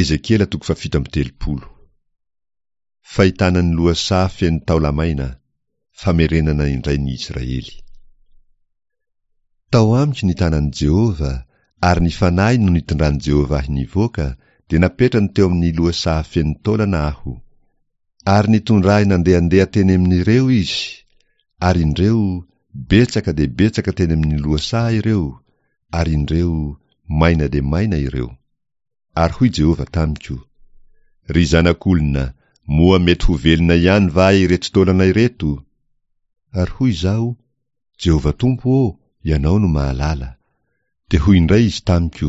Ezekiela toko fahafito amby 30. Fahitana ny lohasaha feno taola-maina, famerenana indray ny Israely. Tao amiko ny tanan'i Jehovah, ary ny Fanahy no nitondran'i Jehovah ahy nivoaka, dia napetrany teo amin'ny lohasaha feno taolana aho. Ary nitondra ahy nandehandeha teny amin'ireo izy, ary indreo, betsaka dia betsaka teny amin'ny lohasaha ireo, ary indreo, maina dia maina ireo. Ary hoy Jehovah tamiko, Ry zanak'olona, moa mety ho velona ihany va ireto taolana ireto? Ary hoy izaho, Jehovah Tompo ô, Ianao no mahalala. Dia hoy indray Izy tamiko,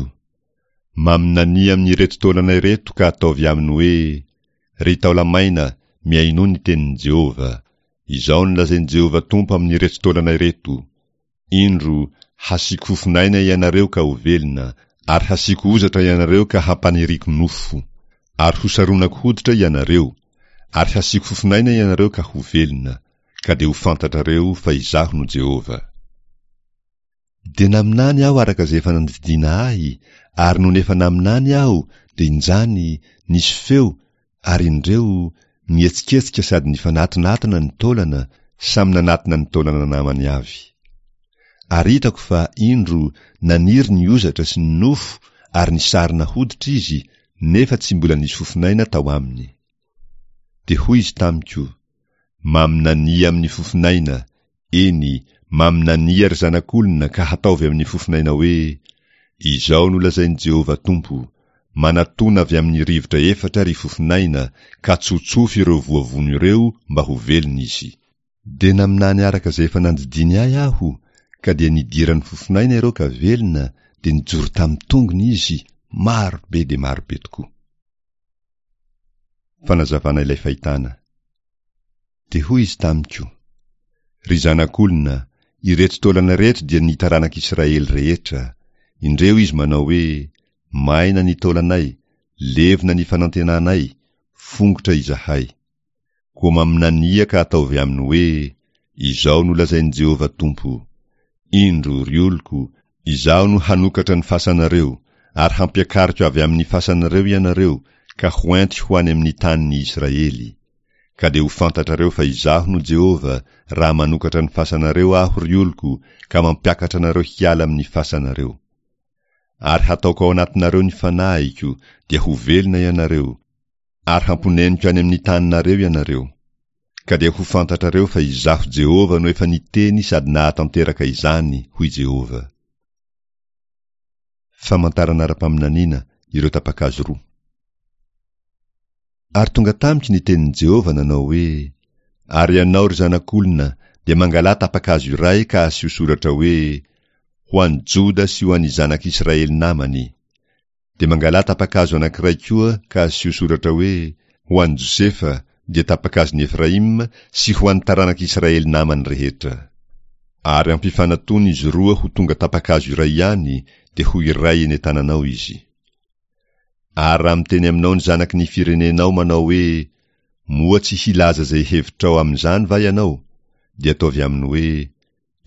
Maminania amin'ireto taolana ireto ka ataovy aminy hoe, Ry taola-maina, mihainoa ny tenin'i Jehovah. Izao no lazain'i Jehovah Tompo amin'ireto taolana ireto, Indro, hasiako fofon'aina ianareo ka ho velona, ary hasiako hozatra ianareo ka hampaniriako nofo. Ary hosaronako hoditra ianareo, ary hasiako fofon'aina ianareo ka ho velona. ka dia ho fantatrareo fa Izaho no Jehovah. Dia naminany aho araka izay efa nandidiana ahy, ary nony efa naminany aho, dia injany, nisy feo, ary indreo, nihetsiketsika sady nifanatonatona ny taolana, samy nanatona ny taolana namany avy. Ary hitako fa, indro, naniry ny hozatra sy ny nofo ary nisarona hoditra izy, nefa tsy mbola nisy fofon'aina tao aminy. Dia hoy izy tamiko, Maminania amin'ny fofon'aina, eny, maminania ry zanak'olona ka hataovy amin'ny fofon'aina hoe, Izao no lazain'i Jehovah Tompo, Manatòna avy amin'ny rivotra efatra ry fofon'aina, ka tsotsofy ireo voavono ireo mba ho velona izy. Dia naminany araka izay efa nandidiany ahy aho, ka dia nidiran'ny fofon'aina ireo ka velona, dia nijoro tamin'ny tongony izy, maro be dia maro be tokoa. Fanazavana ilay fahitana. Dia hoy izy tamiko, Ry zanak'olona, ireto taolana ireto dia ny taranak'Israely rehetra. Indreo izy manao hoe, Maina ny taolanay, levona ny fanantenanay, fongotra izahay. Koa maminania ka ataovy aminy hoe, Izao no lazain'i Jehovah Tompo, Indro, ry oloko, Izaho no hanokatra ny fasanareo, ary hampiakariko avy amin'ny fasanareo ianareo ka hoentiko ho any amin'ny tanin'ny Israely. Ka dia ho fantatrareo fa Izaho no Jehovah, raha manokatra ny fasanareo Aho, ry oloko, ka mampiakatra anareo hiala amin'ny fasanareo. Ary hataoko ao anatinareo ny fanahiko, dia ho velona ianareo, ary hamponeniko any amin'ny taninareo ianareo. Ka dia ho fantatrareo fa Izaho Jehovah no efa niteny sady nahatanteraka izany, hoy Jehovah. Famantarana ara-paminaniana ireo tapa-kazo roa. Ary tonga tamiko ny tenin'i Jehovah nanao hoe, Ary ianao, ry zanak'olona, dia mangalà tapa-kazo iray ka asio soratra hoe, Ho an'i Joda sy ho an'ny zanak'Israely namany. Dia mangalà tapa-kazo anankiray koa ka asio soratra hoe, Ho an'i Josefa, dia tapa-kazon'i Efraima, sy ho an'ny taranak'i Israely namany rehetra. Ary ampifanatony izy roa ho tonga tapa-kazo iray ihany, dia ho iray eny an-tananao izy. Ary raha miteny aminao ny zanaky ny firenenao manao hoe, Moa tsy hilaza izay hevitrao amin'izany va ianao? Dia ataovy aminy hoe,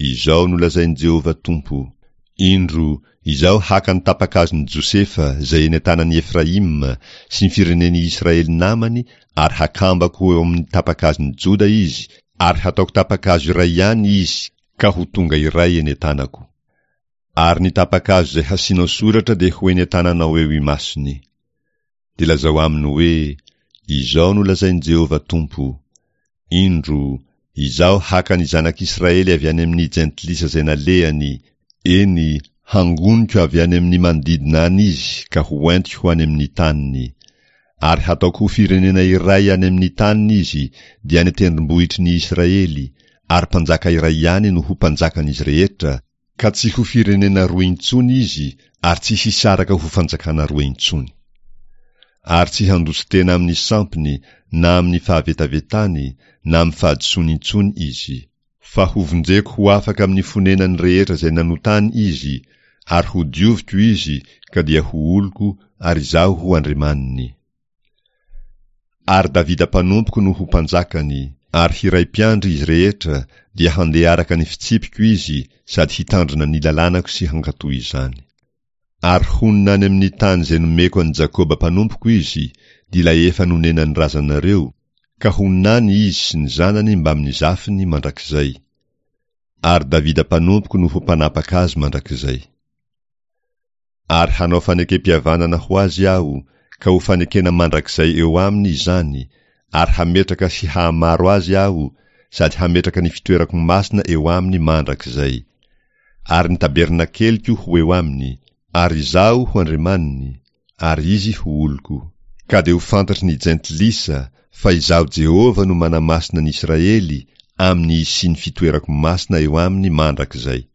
Izao no lazain'i Jehovah Tompo, Indro, Izaho haka ny tapa-kazon'i Josefa izay eny an-tanan'i Efraima sy ny firenen'i Israely namany ary hakambako ho eo amin'ny tapa-kazon'i Joda izy ary hataoko tapa-kazo iray ihany izy ka ho tonga iray eny an-tanako. Ary ny tapa-kazo izay hasianao soratra dia ho eny an-tananao eo imasony. Dia lazao aminy hoe, Izao no lazain'i Jehovah Tompo, Indro, Izaho haka ny zanak'Israely avy any amin'ny jentilisa izay nalehany, eny, hangoniko avy any amin'ny manodidina any izy ka ho entiko ho any amin'ny taniny. Ary hataoko ho firenena iray any amin'ny taniny izy, dia any an-tendrombohitry ny Israely, ary mpanjaka iray ihany no ho mpanjakan'izy rehetra, Ka tsy ho firenena roa intsony izy ary tsy hisaraka ho fanjakana roa intsony. Ary tsy handroso tena amin'ny sampiny na amin'ny fahavetavetany na amin'ny fahadisoany intsony izy. Fa hovonjeko ho afaka amin'ny fonenany rehetra izay nanotany izy, ary hodioviko izy ka dia ho oloko ary Izaho ho Andriamaniny. Ary Davida mpanompoko no ho mpanjakany, ary hiray mpiandry izy rehetra, dia handeha araka ny fitsipiko izy sady hitandrina ny lalànako sy hankatò izany. Ary honina any amin'ny tany izay nomeko an'i Jakoba mpanompoko izy, dia ilay efa nonenan'ny razanareo, ka honina any izy sy ny zanany mbamin'ny zafiny mandrakizay. Ary Davida mpanompoko no ho mpanapaka azy mandrakizay. Ary hanao fanekem-pihavanana ho azy Aho, ka ho fanekena mandrakizay eo aminy izany, ary hametraka sy hahamaro azy Aho, sady hametraka ny fitoerako masina eo aminy mandrakizay. Ary ny tabernakeliko ho eo aminy, ary Izaho ho Andriamaniny, ary izy ho oloko. Ka dia ho fantatry ny Jentilisa fa Izaho Jehovah no manamasina ny Israely amin'ny hisian'ny fitoerako masina eo aminy mandrakizay.